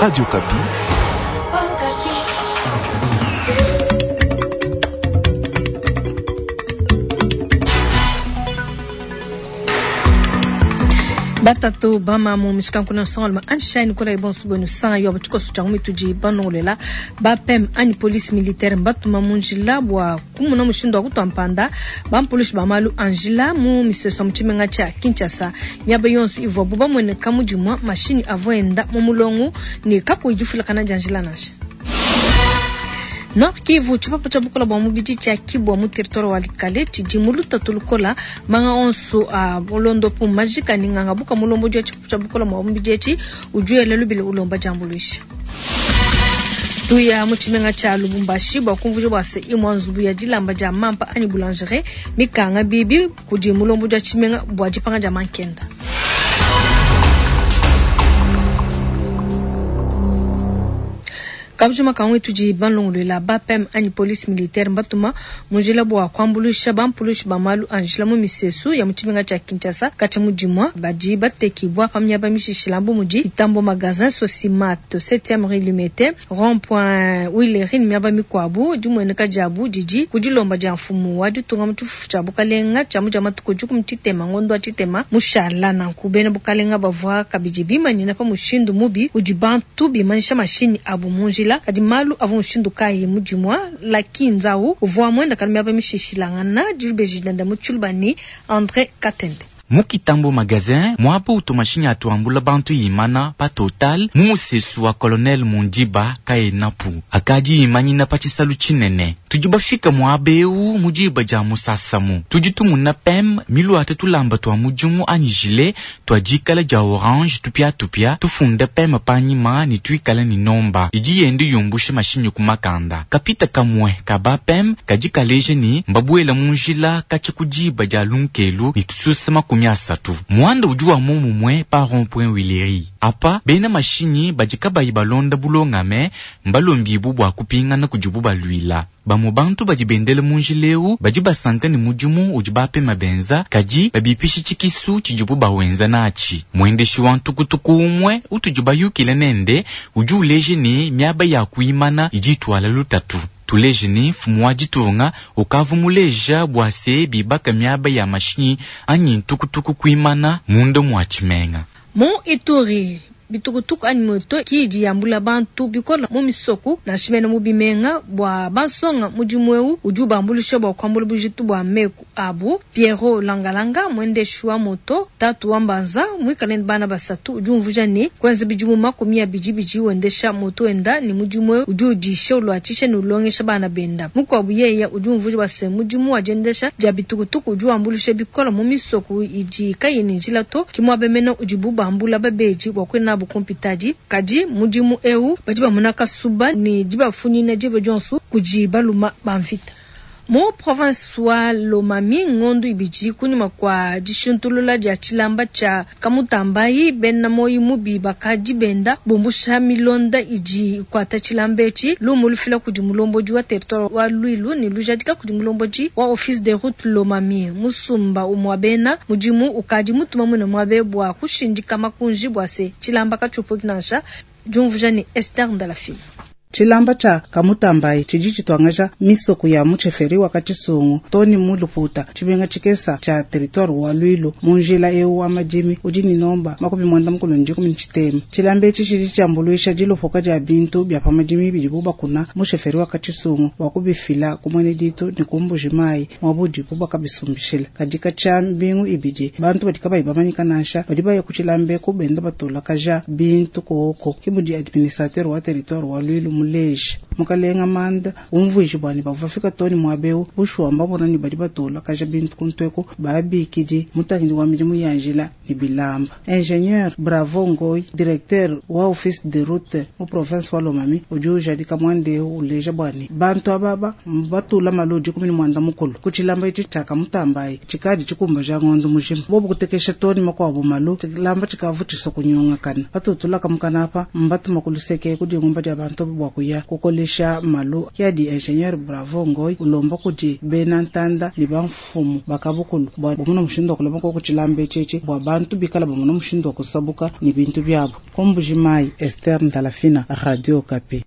Radio Okapi. Batatu bamamu mishikanku na nsongalume anshine kola ibonso bwenu sanga yo tshikoso tshia mitudi banongolela bapem anyi police militaire mbatuma mu njila bua kumuna mushindu wa kutua mpanda bampulushi ba malu a njila mu misesu ya mu tshimenga tshia Kinshasa. Miaba yonso ivuabu bamueneka mu dimua mashinyi avua enda mu mulongo ne kakuyi difuilakana dia njila nansha. Nord Kivu, tshipapu tshia bukola bua mubidi tshia Kibwa mu territoire wa Walikale tshidi mu lutatu lukola. Manga onso a mulondopu majika ne nganga buka mulombodi wa tshipapu tshia bukola bua mubidi etshi udi wela lubila ulomba diambuluisha. Tuya mu tshimenga tshia Lubumbashi bua kumvuija bua se imua nzubu ya dilamba dia mampa anyi boulangerie mikanga bibi kudi mulombodi wa tshimenga bua dipanga dia mankenda. Kabujima kamwe tudi balongoluela bapem anyi police militaire mbatuma mu njila bua kuambuluisha bampulushi ba malu a njila mu misesu ya mu tshimenga tshia Kinshasa katshia mu dimua badi batekibua pa miaba mishishila bu mudi Itambo Magasin, Sosimat, 7e rue Limete, Rond Point Huilerie ne miaba mikuabu. Dimueneka diabu didi ku dilomba dia mfumu wa ditunga mu tshifufu tshia bukalenga tshia mu dia matuku dikumi tshitema ngondo wa tshitema mushala. Nanku bena bukalenga bavua kabidi bimanyina pa mushindu mubi udi bantu bimanyisha mashinyi abu mu njila. Kadi malu avua mushindu kayi mu dimua? Lucky Nzau uvua muendakana miaba mishishilangana dibeji dienda mu tshiluba ne Andre Katende. Mu Kitambo Magasin, muaba utu mashinyi atu ambula bantu imana pa Total, mu musesu wa Colonel Mundiba kaenapu akadi imanyina pa tshisalu tshinene. Tudi bafika muaba eu mu diba dia musasamu. Tudi tumuna pem miluate tulamba tua mudimu anyi gilet tua dikala dia orange tupiatupia tufunda pem panyima ne tuikala ne nomba idi yenda yumbusha mashinyi ku makanda. Kapita kamue ka ba pem kadi kaleja ne mbabuela mu njila katshia ku diba dia lunkelu ne tususa 30. Muanda udi wa momumue pa rond-point Huilerie. Apa bena mashinyi badi kabayi balonda bulongame mbalombibu bua kupingana kudibu baluila. Bamue bantu badi bendele mu njila eu badi basanka ne mudimu udi bapema benza, kadi babipisha tshikisu tshidibu bawenza natshi. Muendeshi wa ntukutuku umue utudi bayukile nende udi uleja ne miaba ya kuimana idi ituala lutatu. Tuleje ne mfumu wa ditunga ukavua muleja bua se bibaka miaba ya mashinyi anyi ntukutuku kuimana munda mua tshimenga. Mu Ituri, bitukutuku anyi moto ki idi yambula bantu bikola mu misoku nansha mene mu bimenga bua bansonga. Mudimu eu udi ubambuluisha bua kuambula bujitu bua meku abu. Pierrot Langalanga, muendeshi wa moto, tatu wa mbanza muikale ne bana basatu, udi umvuija ne kuenza bidimu 20 bidi wendesha moto wenda ne mudimu eu udi udisha uluatshisha ne ulongesha bana benda. Mukuabu yeye udi umvuija bua se mudimu wa diendesha dia bitukutuku udi wambuluisha bikola mu misoku idi kayi ne njila to, ki muaba mene udibu bambula babedi bua kuya nabu ku mpitadi. Kadi mudimu eu badi bamona kasuba ne dibafunyina diba dionso kudi baluma ba mvita. Mu province wa Lomami, ngondo ibidi kunyima kua dishintulula dia tshilamba tshia Kamutambayi, bena moyi mubi bakadi benda bumbusha milonda idi ikuata tshilamba etshi. Lumu lufila kudi mulombodi wa territoire wa Luilu ne lujadika kudi mulombodi wa office de route Lomami. Musumba umua bena mudimu ukadi mutuma muine muabe bua kushindika makunji bua se tshilamba katshiupuki nansha. Diumvuija ne Esther Ndalafina. Tshilamba tshia Kamutambayi tshidi tshituangaja misoko ya mu chefferie wa Katshisungu to ne mu Luputa, tshimenga tshikesa tshia territoire wa Luilu mu njila eu wa madimi udi ne nomba 63. Tshilamba etshi tshidi tshiambuluisha dilopoka dia bintu bia pa madimi bidibu bakuna mu chefferie wa Katshisungu bua kubifila ku mwene ditu ne ku Mbuji Mayi muaba udibu bakabisumbishila. Kadi katshia mbingu ibidi bantu badi kabayi bamanyika nansha badi baya ku tshilamba eku benda batulakaja bintu koko. Ke mudi administrateur wa territoire wa Luilu muleje. Mukalenga Manda umvuije bua ne bavua bafika too ne muaba eu bushuwa mbabona ne badi batulakaja bintu ku ntueku babikidi mutangidi wa midimu ya njila ne bilamba. Ingénieur Bravo Ngoyi, directeur wa office de route mu province wa Lomami, udi ujadika muanda eu uleja bua ne bantu ababa mbatula malu 19 ku tshilamba etshi tshia Kamutambayi tshikadi tshikumbaja ngondo mujima. Bobu kutekesha too ne makuabu malu tshilamba tshikavu tshisua kunyungakana. Batutulaka mukana apa mbatuma ku luseke ku dingumba dia bantu bua kuya kukolesha malu ke adi ingenieur Bravo Ngoy ulomba kudi bena ntanda ne bamfumu ba kabukulu bua bamone mushindu wa kulama koku tshilamba etshi bua bantu bikala bamone mushindu wa kusabuka ne bintu biabu. Ku Mbuji-Mayi, Esther Ndalafina, Radio Okapi.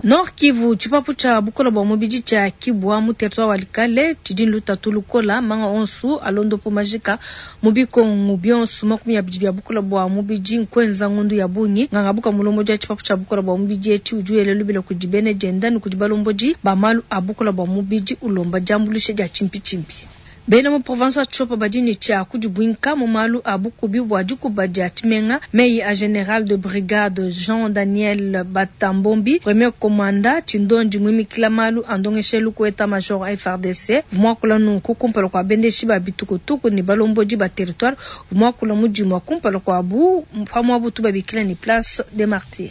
Nord Kivu, tshipapu tshia bukola bua mubidi tshia Kibwa mu territoire wa Likale tshidi ne lutatu lukola manga onsu alondopo majika mu bikongu bionsu 20 bia bukola bua mubidi nkwenza ngundu ya bungi. Nganga buka mulombodi wa tshipapu tshia bukola bua mubidi etshi udi wela lubila kudi bene dienda ne kudi balombodi ba malu a bukola bua mubidi ulomba diambuluisha dia tshimpitshimpi. Bena mu province wa Tshopo badi ne tshia kudibuinka mu malu a bukubi bua dikuba dia tshimenga. Meyi a general de brigade Jean Daniel Batambombi, premier commandant tshindondi muimikila malu a ndongeshelu ku etat major FARDC, vumuakula nunku kumpala kua bendeshi ba bitukutuku ne balombodi ba territoire, vumuakula mudimu wa kumpala kuabu pamuabu tubabikila ne place des martyrs.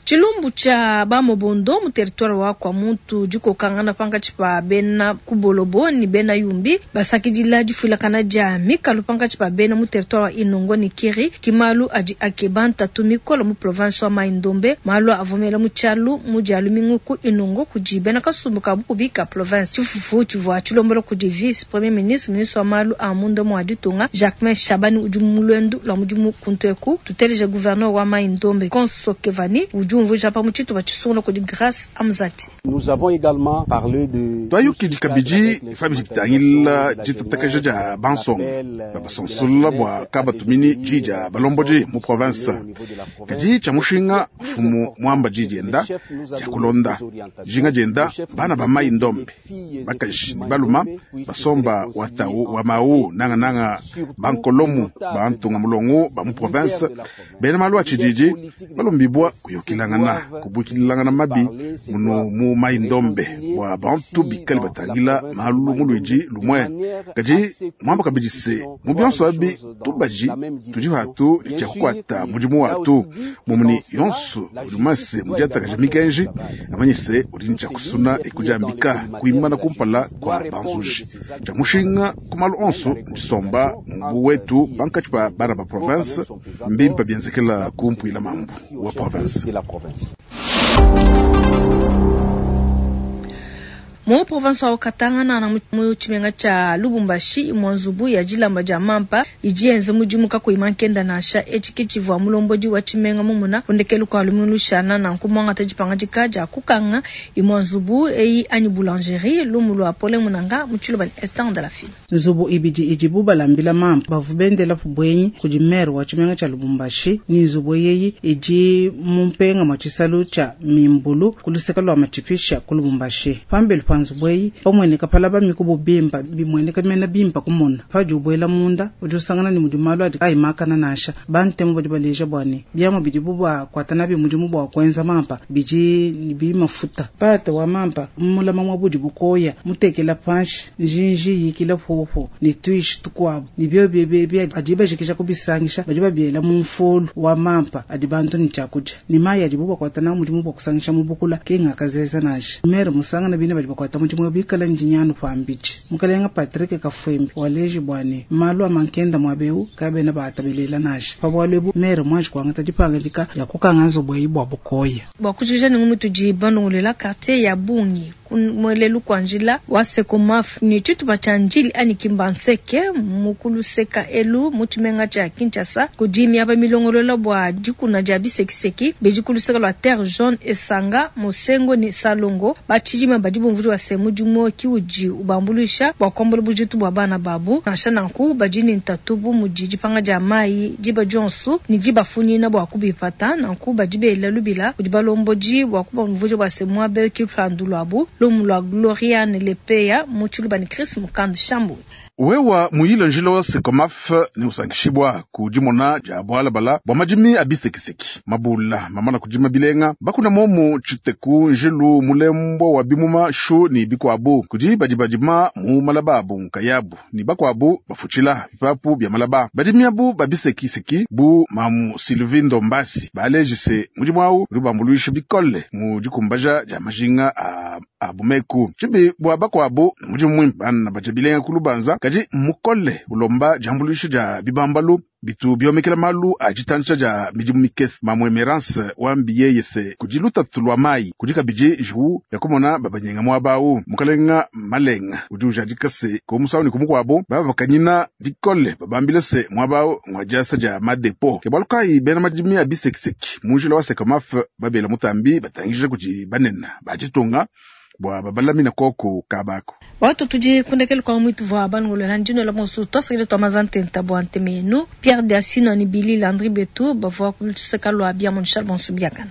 Tshilumbu tshia ba Mobondo mu territoire wa Kwamouth dikokangana pankatshi pa bena Kubolobo ne bena Yumbi basakidila difuilakana dia mikalu pankatshi pa bena mu territoire wa Inongo ne Kiri ki malu adi akeba ntatu mikole mu province wa Mai-Ndombe. Malu avua mela mu tshialu mu dia lumingu ku Inongo kudi bena kasumbu ka bukubi ka province. Tshifufu tshivua tshilombola kudi vice premier ministre, ministre wa malu a munda mua ditunga Jacquemain Shabani udi mu luendu lua mudimu kuntu eku. Tuteleje gouverneur wa Mai-Ndombe Konso Kevani udi umvuija pa mu tshitupa tshisungula kudi Grace Amzati. Nous avons également parlé de Twayukidi kabidi pabidi bitangila ditatakaja dia bansonga babasansula bua kabatumini diyi dia balombodi mu province. Kadi tshia mushinga mfumu muamba diyi dienda dia kulonda dijinga dienda bana ba mai ndombe bakaji ne baluma basomba watau wa mau nangananga bankolomu bantunga mulongo ba mu province bena malu a tshididi balombibwa kuyukilangana kubuikilangana mabi munu mu mai ndombe bua bantu bikale batangila malu muluidi lumwe. Kadi muamba kabidi se mu bionso abi tubaji tudi hatu tshia kukuata mudimu watu mumuni yonso udi mase mudiatakaja mikenji amanyise udi ne tshia kusuna ekudiambika kuimana kumpala kua banzuji. Tshia mushinga ku malu onso ndisomba mu wetu pankatshi pa bana ba province mbimpa bienzekela kumpuila mambu wa province. Mu province wa Katanga na mu tshimenga tshia Lubumbashi imwe nzubu ya dilamba dia mampa idi yenza mudimu kakuyi mankenda nansha. Etshi ke tshivua mulombodi wa tshimenga mumuna kundekelu kua lumingu lushana nanku muangata dipangadika dia kukanga imwe nzubu eyi anyi boulangerie lumu lua Pole Munanga mu tshiluba ne Esther de la Fille. Nzubu ibidi idibu balambila mampa bavu bendela bwenyi kudi maire wa tshimenga tshia Lubumbashi ni nzubu yeyi idi mu mpenga mwa tshisalu tshia Mimbulu ku luseke lua matshipisha ku Lubumbashi. Pambelu pa nzubu eyi pamweneka palaba mikubu bimpa bimweneka mena bimpa kumona padi ubwela munda udi usangana ni mudi malu adi ayimakana nansha. Bantemu badi baleja bua ne biamu bidibu bakuata nabi mudimu bua kuenza mampa bidi bi mafuta pate wa mampa mulama mwa budi bukoya mutekela panshi njinji yikila popo ne tuishi tukuabu ne bio bie adi bajikisha kubisangisha badi babiela mu mfulu wa mampa adi bantu ni tshiakudia ne mayi adibu bakuata nawu mudimu bua kusangisha mu bukula ke ngakazeza nansha. Mere musangana bine badi bakuata mudimu bikala njinyanu pambidi. Mukalenga Patrick Kafwembe waleji bua ne malu a mankenda mwabeu kabena baatabelela nansha. Pabwalu ebu mere mwanji kuangata dipangadika ya kukanga nzubu eyi bua bukoya. Bua kujikija ne ngumu tudi bandongolela quartier ya bungi kumwelelu kwa njila wa Sekomaf ni tshitupa tshia njili anyi Kimbanseke mukuluseka elu mu tshimenga tshia Kinshasa kudi miaba milongolola bua dikuna dia bisekiseki bidi kuluseka lua Terre Jaune Esanga Mosengo ni Salongo batshidima badi bumvudi wa se mudimu ki udi ubambuluisha bua kuambula bujitu bua bana babu nansha nanku badi ne ntatu bu mudi dipanga dia mayi diba dionsu ne dibafunyina bua kubipata nanku badi bela lubila kudi balombodi bua kubamvuja bua se muaba ki lupandu luabu lumu lua Gloriane Lepeya mu tshiluba ne Chris Mukand Shambu. Wewa muyile njila wa Sekomaf ne usankishibwa ku dimona dia bwalabala bua madimi a bisekiseki mabula mamana kudima bilenga bakuna momu tshiteku njilu mulembo wa bimuma shu ni bikuabu kudi badi badima mu malaba abu nkayabu ni bakuabu bafutshila bipapu bia malaba badimi abu ba bisekiseki bu mamu Sylvie Ndombasi balejise mudimu awu udi bambuluisha bikole mu dikumbaja dia majinga a bumeku tshibi bua bakuabu mudimu muimpe bana badia bilenga ku lubanza kadi mukole ulomba diambuluisha dia bibambalu Bitu biomekela malu a ditantsha dia midimu mikese. Mamwe Emerance wambi yeye se kudi lutatu lwa mayi, kudi kabidi njiwu ya kumona babanyenga muaba awu. Mukalenga Malenga udi ujadika se ku musangu ne ku mukuabu babakanyina bikole babambile se muaba awu ngwa diasa dia madepo. Ke bualu kayi bena madimi a bisekiseki mu njila wa Sekomaf babela mutambi batangija kudi banene ba ditunga bua babalamina koku kabako. Watu tudi kundekele kwa mwitu vwa balongolola ndino la bonso twasakile twa mazantenta bua ntemenu Pierre Diasino ni Billy Landry Betu bavua kuluseka lwa bia monshal bonso biakana.